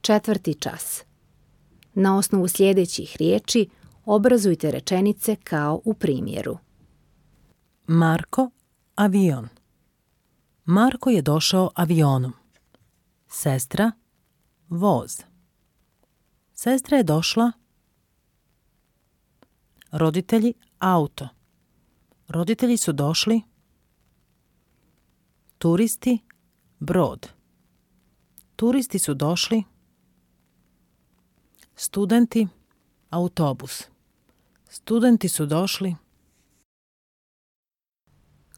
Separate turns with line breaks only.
Četvrti čas. Na osnovu sljedećih riječi obrazujte rečenice kao u primjeru.
Marko, avion. Marko je došao avionom. Sestra, voz. Sestra je došla. Roditelji, auto. Roditelji su došli. Turisti, brod. Turisti su došli. Studenti, autobus. Studenti su došli.